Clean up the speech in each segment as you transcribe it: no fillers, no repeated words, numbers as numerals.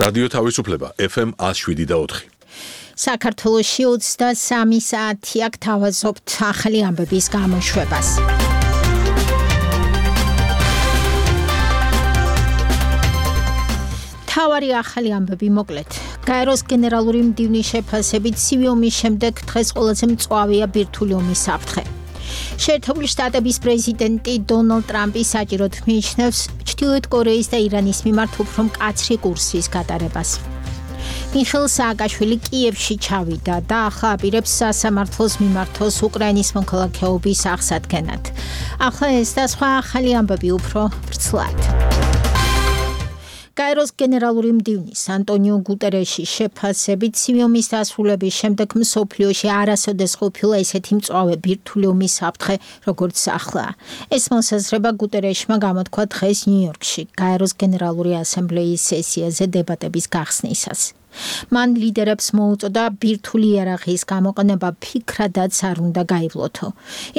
რადიო თავისუფლება FM 107.4. საქართველოში 23 საათი აქ თავაზობთ ახალი ამბების გამოშვებას. თავარი ახალი ამბები მოკლედ. გაეროს გენერალური მდივნის შეფასებით ცივი ომის შემდეგ დღეს ყველაზე მწვავეა ბირთვული ომის საფრთხე. შეერთებული შტატების პრეზიდენტი დონალდ ტრამპი საჭიროდ მიიჩნევს ჩრდილოეთ კორეის და ირანის მიმართ უფრო მკაცრი კურსის გატარებას. მიხეილ სააკაშვილი კიევში ჩავიდა და ახლა აპირებს სასამართლოს მიმართოს უკრაინის მოქალაქეობის აღსადგენად. ახლა ეს და სხვა ახალი ამბები უფრო ვრცლად. გაეროს გენერალური მდივნის ანტონიო გუტერეშის შეფასებით ცივი ომის დასრულების შემდეგ მსოფლიოში არასოდეს ყოფილა ესეთი მწვავე ბირთვული ომის საფრთხე, როგორც ახლა. ეს მოსაზრება გუტერეშმა გამოთქვა დღეს ნიუ-იორკში გაეროს გენერალური ასამბლეის სესიაზე დებატების გახსნისას. მან ლიდერებს მოუწოდა ბირთვული იარაღის გამოყენება ფიქრადაც არ უნდა გაივლოთო.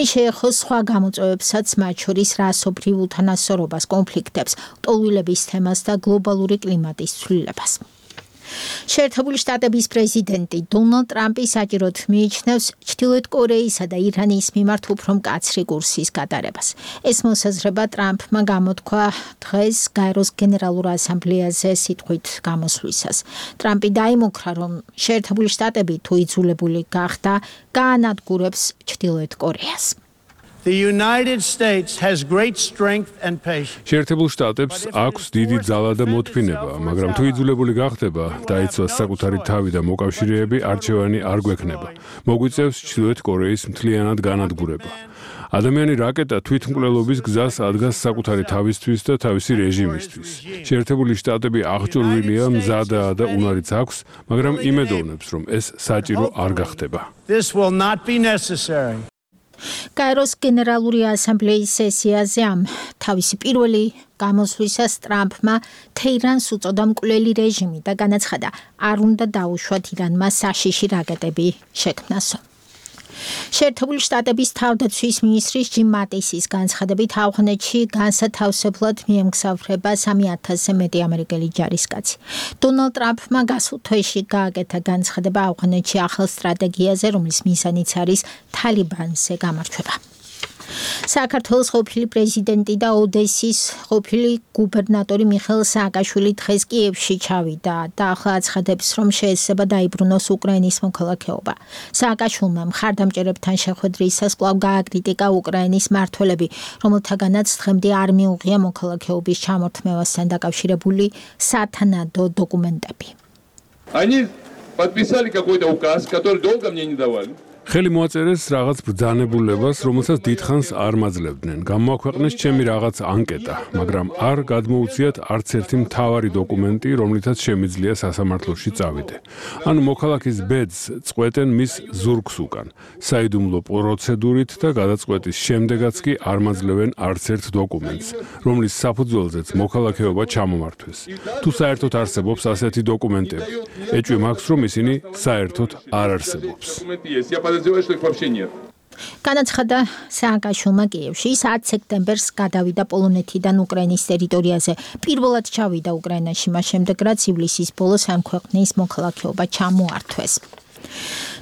ის შეეხოს სხვა გამოწვევებსაც, მათ შორის რასობრივ უთანასწორობას, კონფლიქტებს, ლტოლვილების თემას და გლობალური კლიმატის ცვლილებას. შეერთებული შტატების პრეზიდენტი დონალდ ტრამპი საჭიროდ მიიჩნევს ჩრდილოეთ კორეისა და ირანის მიმართ უფრო მკაცრი კურსის გატარებას. ეს მოსაზრება ტრამპმა გამოთქვა დღეს გაეროს გენერალურ ასამბლეაზე სიტყვით გამოსვლისას. ტრამპი დაიმუქრა, რომ შეერთებული შტატები თუ იძულებული გახდა, გაანადგურებს ჩრდილოეთ კორეას. The United States has great strength and patience. შეერთებულ შტატებს აქვს დიდი ძალა და მოთმინება, მაგრამ თუ იძულებული გახდება, დაიცვას საკუთარი თავი და მოკავშირეები, არჩევანი არ გვექნება. მოგვიწევს ჩრდილოეთ კორეის მთლიანად განადგურება. ადამიანი რაკეტა თვითმკვლელობის გზას ადგას საკუთარი თავისთვის და თავისი რეჟიმისთვის. შეერთებული შტატები აღჭურვილია, მზადაა და უნარიც აქვს, მაგრამ იმედოვნებს, რომ ეს საჭირო არ გახდება. This will not be necessary. გაეროს გენერალური ასამბლეის სესიაზე ამ თავისი პირველი გამოსვლისას ტრამპმა თეირანს უწოდა მკვლელი რეჟიმი და განაცხადა, არ უნდა დაუშვათ ირანმა საშიში რაკეტები შექმნასო. შეერთებული შტატების თავდაცვის მინისტრის ჯიმ მატისის განცხადებით ავღანეთში განსათავსებლად მიემგზავრება 3,000-ზე მეტი ამერიკელი ჯარისკაცი. დონალდ ტრამპმა გასულ თვეში გააკეთა განცხადება ავღანეთში ახალ სტრატეგიაზე, რომლის მიზანიც არის თალიბანზე გამარჯვება. საქართველოს ყოფილი პრეზიდენტი და ოდესის ყოფილი გუბერნატორი მიხეილ სააკაშვილი დღეს კიევში ჩავიდა და ახლა აცხადებს, რომ შეეცდება დაიბრუნოს უკრაინის მოქალაქეობა. სააკაშვილმა მხარდამჭერებთან შეხვედრისას კვლავ გააკრიტიკა უკრაინის მმართველები, რომელთაგანაც დღემდე არ მიუღია მოქალაქეობის ჩამორთმევასთან დაკავშირებული სათანადო დოკუმენტები. Они подписали какой-то указ, который долго мне не давали. ხელი მოაწერეს რაღაც ბრძანებულებას, რომელსაც დიდხანს არ მაძლევდნენ. გამოაქვეყნეს ჩემი რაღაც ანკეტა, მაგრამ არ გადმოუციათ არც ერთი მთავარი დოკუმენტი, რომლითაც შემიძლია სასამართლოში წავიდე. ანუ მოქალაქის ბედს წყვეტენ მის ზურგს უკან. საიდუმლო პროცედურით და გადაწყვეტის შემდეგაც კი არ მაძლევენ არც ერთ დოკუმენტს, რომლის საფუძველზეც მოქალაქეობა ჩამომართვეს. თუ საერთოდ არსებობს ასეთი დოკუმენტები, ეჭვი მაქვს, რომ ისინი საერთოდ არ არსებობს. განაცხადა სააკაშვილმა კიევში. 10 სექტემბერს გადავიდა პოლონეთიდან უკრაინის ტერიტორიაზე. პირველად ჩავიდა უკრაინაში, მას შემდეგ რაც ივლისის ბოლოს ამ ქვეყნის მოქალაქეობა ჩამოართვეს.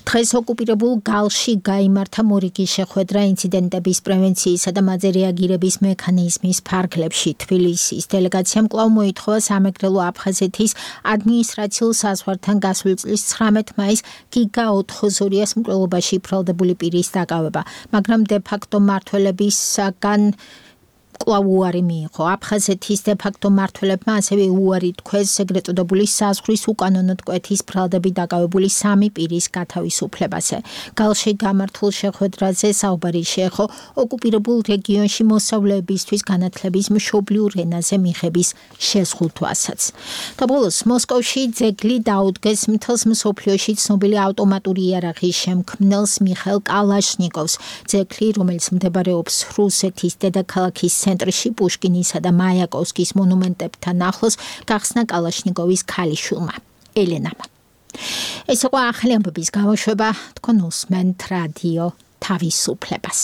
დღეს ოკუპირებულ გალში გაიმართა მორიგი შეხვედრა ინციდენტების პრევენციისა და მათზე რეაგირების მექანიზმის ფარგლებში. თბილისის დელეგაციამ კვლავ მოითხოვა სამეგრელო აფხაზეთის ადმინისტრაციულ საზღვართან გასული წლის 19 მაისს გიგა ოთხოზორიას მკვლელობაში ბრალდებული პირის დაკავება, მაგრამ დე-ფაქტო მმართველებისაგან კვლავ უარი მიიღო. აფხაზეთის დე-ფაქტო მმართველებმა ასევე უარი თქვეს ეგრეთ წოდებული საზღვრის უკანონოდ კვეთის ბრალდებით დაკავებული 3 პირის გათავისუფლებაზე. გალში გამართულ შეხვედრაზე საუბარი შეეხო ოკუპირებულ რეგიონში მოსავლეებისთვის განათლების მშობლიურ ენაზე მიღების შეზღუდვასაც. და ბოლოს მოსკოვში ძეგლი დაუდგეს მთელს მსოფლიოში ცნობილი ავტომატური იარაღის შემქმნელს მიხეილ კალაშნიკოვს. ძეგლი, რომელიც მდებარეობს რუსეთის დედაქალაქის ცენტრში პუშკინისა და მაიაკოვსკის მონუმენტებთან ახლოს, გახსნა კალაშნიკოვის ქალიშვილმა ელენამ. ეს იყო ახალი ამბების გამოშვება, თქვენ უსმენთ რადიო თავისუფლებას.